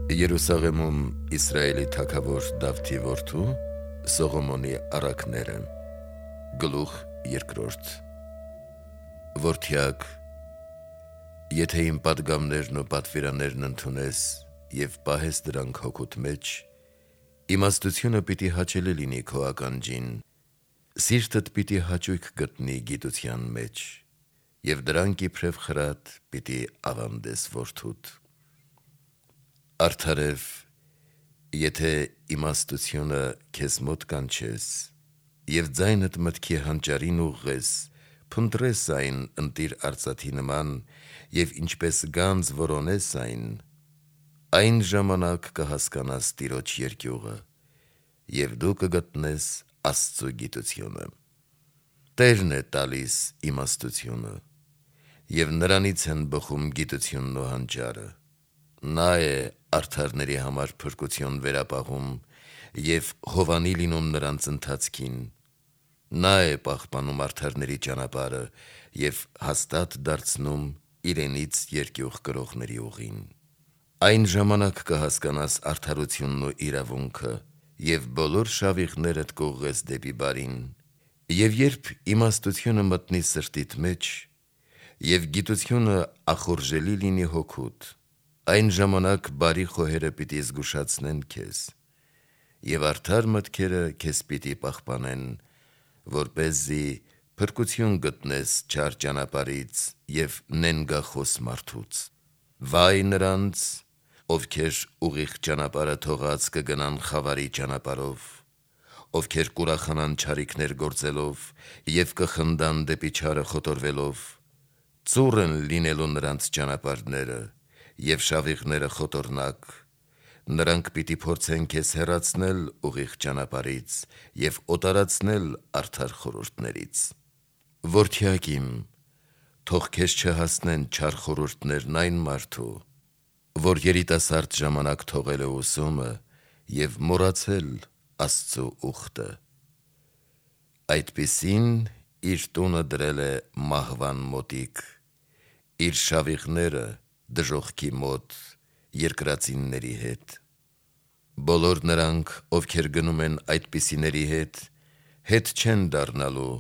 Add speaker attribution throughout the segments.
Speaker 1: Երուսաղեմում Իսրայելի թագավոր Դավթի որդու Սողոմոնի առակները։ Գլուխ երկրորդ։ Որդյակ, եթե իմ պատգամներն ու պատվիրաններն ընդունես և պահես դրանք հոգուտ մեջ, իմաստությունը պիտի հաճելի լինի քո ականջին, սիրտդ պիտի հաճույք գտնի գիտության մեջ, և դրանք իբրև խրատ պիտի ավանդես որդուդ։ Արդարև, եթե իմաստությունը քեզ մոտ կանչես, և ձայնդ մտքի հանճարին ուղղես, փնտրես այն ընտիր արծաթի նման, և ինչպես գանձ որոնես այն ժամանակ կհասկանաս Տիրոջ երկյուղը, և դու կգտնես Աստծու գիտությունը։ Տերն է տալիս իմաստությունը, և նրանից են բխում գիտությունն ու հանճարը։ Նա է արդարների համար փրկություն վերապահում և հովանի լինում նրանց ընթացքին։ Նա է պահպանում արդարների ճանապարհը և հաստատ դարձնում իրենից երկյուղ կրողների ուղին։ Այն ժամանակ կհասկանաս արդարությունն ու իրավունքը և բոլոր շավիղներդ կուղղես դեպի բարին։ Եվ երբ իմաստությունը մտնի սրտիդ մեջ, և գիտությունը ախորժելի լինի հոգուդ, այն ժամանակ բարի խոհերը պիտի զգուշացնեն քեզ, և արդար մտքերը քեզ պիտի պահպանեն, որպեսզի փրկություն գտնես չար ճանապարհից և նենգախոս մարդուց։ Վայ նրանց, ովքեր ուղիղ ճանապարհը թողած կգնան խավարի ճանապարհով, ովքեր կուրախանան չարիքներ գործելով և կխնդան դեպի չարը խոտորվելով։ Ծուռ են լինելու նրանց ճանապարհները, և շավիղները խոտորնակ։ Նրանք պիտի փորձեն քեզ հեռացնել ուղիղ ճանապարհից և օտարացնել արդար խորհուրդներից։ Որդյակ իմ, թող քեզ չհասնեն չար խորհուրդներն այն մարդու, որ երիտասարդ ժամանակ թողել է ուսումը և մոռացել Աստծու ուխտը։ Այդպիսին իր տունը դրել է մահվան մոտիկ, իր շավիղները դժոխքի մոտ երկրածինների հետ։ Բոլոր նրանք, ովքեր գնում են այդպիսիների հետ չեն դառնալու,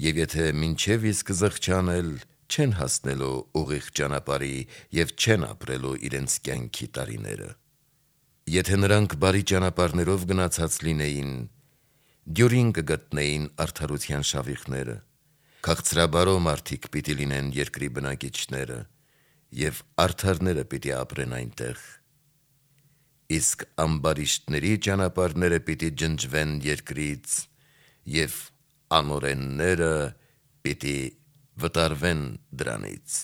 Speaker 1: և եթե մինչև իսկ զղջանել, չեն հասնելու ուղիղ ճանապարհի և չեն ապրելու իրենց կյանքի տարիները։ Եթե նրանք բարի ճանապարհներով գնացած լինեին, դյուրին կգտնեին արդարության շավիղները։ Քաղցրաբարո մարդիկ պիտի լինեն երկրի բնակիչները, և արդարները պիտի ապրեն այնտեղ։ Իսկ ամբարիշտների ճանապարհները պիտի ջնջվեն երկրից, և անօրենները պիտի վտարվեն դրանից։